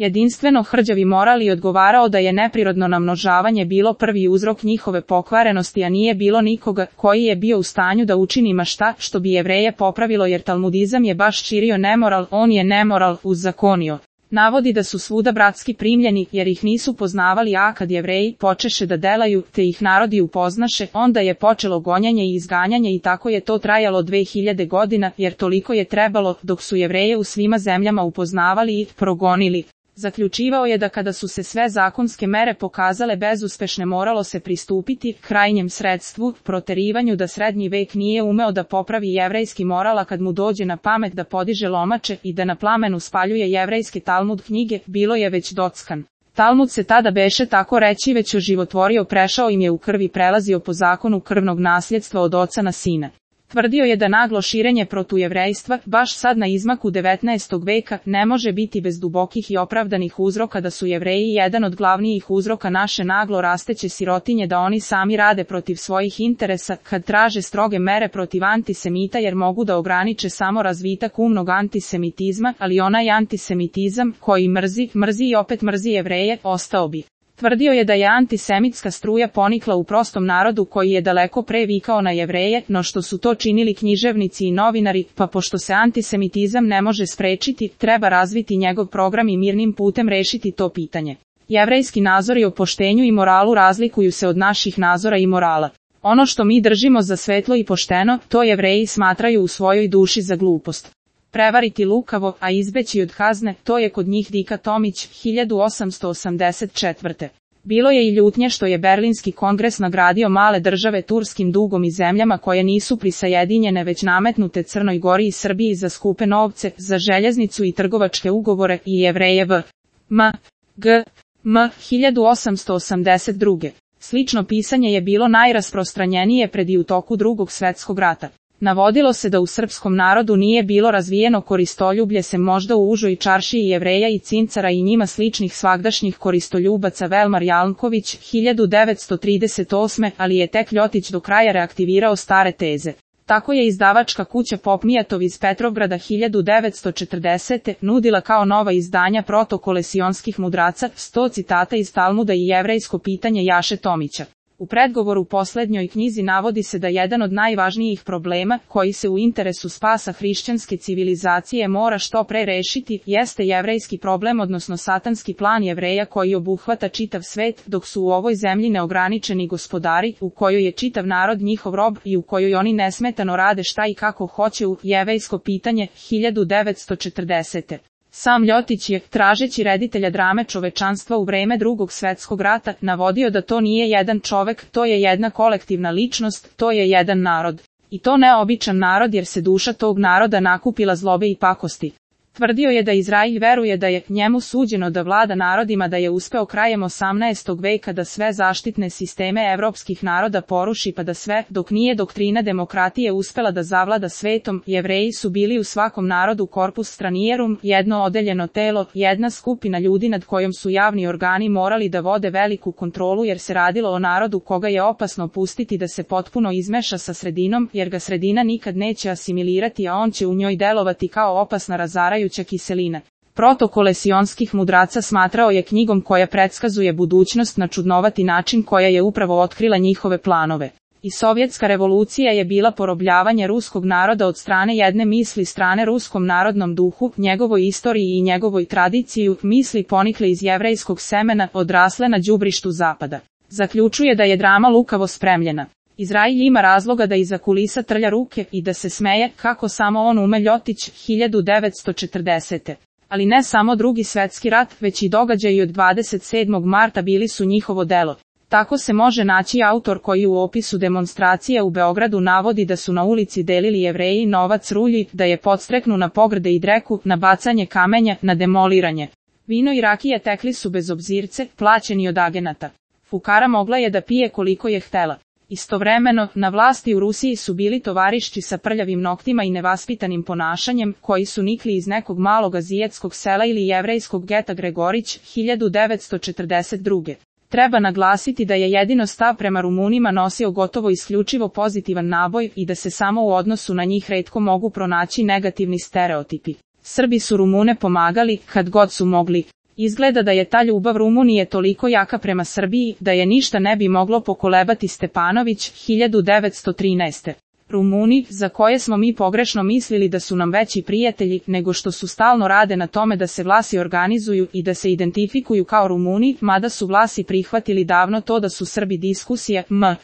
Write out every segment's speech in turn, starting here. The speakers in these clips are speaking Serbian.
Jedinstveno hrđavi moral i odgovarao da je neprirodno namnožavanje bilo prvi uzrok njihove pokvarenosti, a nije bilo nikoga koji je bio u stanju da učini ma šta što bi Jevreje popravilo, jer talmudizam je baš širio nemoral, on je nemoral uzzakonio. Navodi da su svuda bratski primljeni, jer ih nisu poznavali, a kad Jevreji počeše da delaju, te ih narodi upoznaše, onda je počelo gonjanje i izganjanje i tako je to trajalo 2000 godina, jer toliko je trebalo, dok su Jevreje u svima zemljama upoznavali i progonili. Zaključivao je da kada su se sve zakonske mere pokazale bezuspešne, moralo se pristupiti krajnjem sredstvu, proterivanju, da srednji vek nije umeo da popravi jevrejski moral, a kad mu dođe na pamet da podiže lomače i da na plamenu spaljuje jevrejske Talmud knjige, bilo je već dockan. Talmud se tada beše tako reći već oživotvorio, prešao im je u krvi, prelazio po zakonu krvnog nasljedstva od oca na sina. Tvrdio je da naglo širenje protujevrejstva, baš sad na izmaku 19. veka, ne može biti bez dubokih i opravdanih uzroka, da su Jevreji jedan od glavnijih uzroka naše naglo rasteće sirotinje, da oni sami rade protiv svojih interesa, kad traže stroge mere protiv antisemita, jer mogu da ograniče samo razvitak umnog antisemitizma, ali onaj antisemitizam koji mrzi i opet mrzi Jevreje, ostao bi. Tvrdio je da je antisemitska struja ponikla u prostom narodu koji je daleko pre vikao na Jevreje, no što su to činili književnici i novinari, pa pošto se antisemitizam ne može sprečiti, treba razviti njegov program i mirnim putem rešiti to pitanje. Jevrejski nazori o poštenju i moralu razlikuju se od naših nazora i morala. Ono što mi držimo za svetlo i pošteno, to Jevreji smatraju u svojoj duši za glupost. Prevariti lukavo, a izbeći od kazne, to je kod njih Dika Tomić, 1884. Bilo je i ljutnje što je Berlinski kongres nagradio male države turskim dugom i zemljama koje nisu prisajedinjene već nametnute Crnoj Gori i Srbiji za skupe novce, za željeznicu i trgovačke ugovore i Jevreje v.G. 1882. Slično pisanje je bilo najrasprostranjenije pred i u toku Drugog svjetskog rata. Navodilo se da u srpskom narodu nije bilo razvijeno koristoljublje, se možda u užoj čaršiji Jevreja i Cincara i njima sličnih svagdašnjih koristoljubaca. Velmar Jalnković, 1938. Ali je tek Ljotić do kraja reaktivirao stare teze. Tako je izdavačka kuća Popmijatov iz Petrovgrada 1940. nudila kao nova izdanja Protokole sionskih mudraca, 100 citata iz Talmuda i jevrejsko pitanje Jaše Tomića. U predgovoru poslednjoj knjizi navodi se da jedan od najvažnijih problema, koji se u interesu spasa hrišćanske civilizacije mora što pre rešiti, jeste jevrejski problem, odnosno satanski plan Jevreja koji obuhvata čitav svet, dok su u ovoj zemlji neograničeni gospodari, u kojoj je čitav narod njihov rob i u kojoj oni nesmetano rade šta i kako hoće. U Jevrejsko pitanje, 1940. Sam Ljotić je, tražeći reditelja drame čovečanstva u vreme Drugog svjetskog rata, navodio da to nije jedan čovek, to je jedna kolektivna ličnost, to je jedan narod. I to ne običan narod, jer se duša tog naroda nakupila zlobe i pakosti. Tvrdio je da Izrail veruje da je njemu suđeno da vlada narodima, da je uspeo krajem 18. veka da sve zaštitne sisteme evropskih naroda poruši, pa da sve, dok nije doktrina demokratije uspela da zavlada svetom, Jevreji su bili u svakom narodu corpus stranierum, jedno odeljeno telo, jedna skupina ljudi nad kojom su javni organi morali da vode veliku kontrolu, jer se radilo o narodu koga je opasno pustiti da se potpuno izmeša sa sredinom, jer ga sredina nikad neće asimilirati, a on će u njoj delovati kao opasna razarajuća kiselina. Protokole sionskih mudraca smatrao je knjigom koja predskazuje budućnost na čudnovati način, koja je upravo otkrila njihove planove. I sovjetska revolucija je bila porobljavanje ruskog naroda od strane jedne misli, strane ruskom narodnom duhu, njegovoj istoriji i njegovoj tradiciji, misli ponikle iz jevrejskog semena, odrasle na đubrištu zapada. Zaključuje da je drama lukavo spremljena. Izrail ima razloga da iza kulisa trlja ruke i da se smeje, kako samo on ume. Ljotić, 1940. Ali ne samo Drugi svjetski rat, već i događaji od 27. marta bili su njihovo delo. Tako se može naći autor koji u opisu demonstracija u Beogradu navodi da su na ulici delili Jevreji novac rulji, da je podstreknu na pogrde i dreku, na bacanje kamenja, na demoliranje. Vino i rakija tekli su bez obzirce, plaćeni od agenata. Fukara mogla je da pije koliko je htela. Istovremeno, na vlasti u Rusiji su bili tovarišči sa prljavim noktima i nevaspitanim ponašanjem, koji su nikli iz nekog malog azijetskog sela ili jevrejskog geta Gregorić, 1942. Treba naglasiti da je jedino stav prema Rumunima nosio gotovo isključivo pozitivan naboj i da se samo u odnosu na njih retko mogu pronaći negativni stereotipi. Srbi su Rumune pomagali, kad god su mogli. Izgleda da je ta ljubav Rumunije toliko jaka prema Srbiji, da je ništa ne bi moglo pokolebati. Stepanović, 1913. Rumuni, za koje smo mi pogrešno mislili da su nam veći prijatelji, nego što su stalno rade na tome da se Vlasi organizuju i da se identifikuju kao Rumuni, mada su Vlasi prihvatili davno to da su Srbi. Diskusija, M.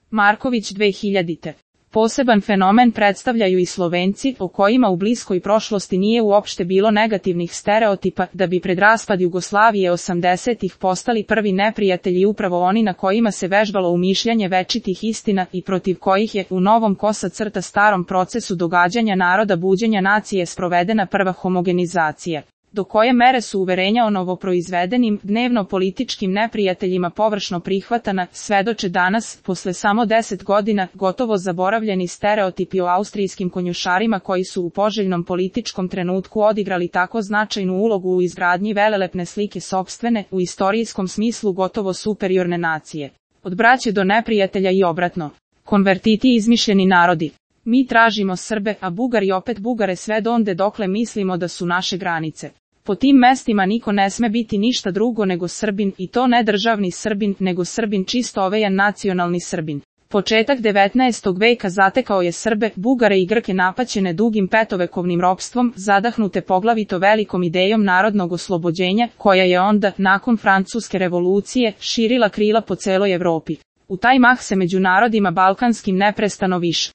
Marković, 2000. Poseban fenomen predstavljaju i Slovenci, o kojima u bliskoj prošlosti nije uopšte bilo negativnih stereotipa, da bi pred raspad Jugoslavije 80-ih postali prvi neprijatelji upravo oni na kojima se vežbalo umišljanje večitih istina i protiv kojih je u novom starom procesu događanja naroda buđenja nacije sprovedena prva homogenizacija. Do koje mere su uverenja o novoproizvedenim, dnevno političkim neprijateljima površno prihvatana, svedoče danas, posle samo 10 godina, gotovo zaboravljeni stereotipi o austrijskim konjušarima koji su u poželjnom političkom trenutku odigrali tako značajnu ulogu u izgradnji velelepne slike sopstvene, u istorijskom smislu gotovo superiorne nacije. Od braće do neprijatelja i obratno. Konvertiti izmišljeni narodi. Mi tražimo Srbe, a Bugari opet Bugare sve donde dokle mislimo da su naše granice. Po tim mestima niko ne sme biti ništa drugo nego Srbin, i to ne državni Srbin, nego Srbin čisto ovejan nacionalni Srbin. Početak 19. veka zatekao je Srbe, Bugare i Grke napaćene dugim petovekovnim ropstvom, zadahnute poglavito velikom idejom narodnog oslobođenja, koja je onda, nakon Francuske revolucije, širila krila po celoj Evropi. U taj mah se među narodima balkanskim neprestano više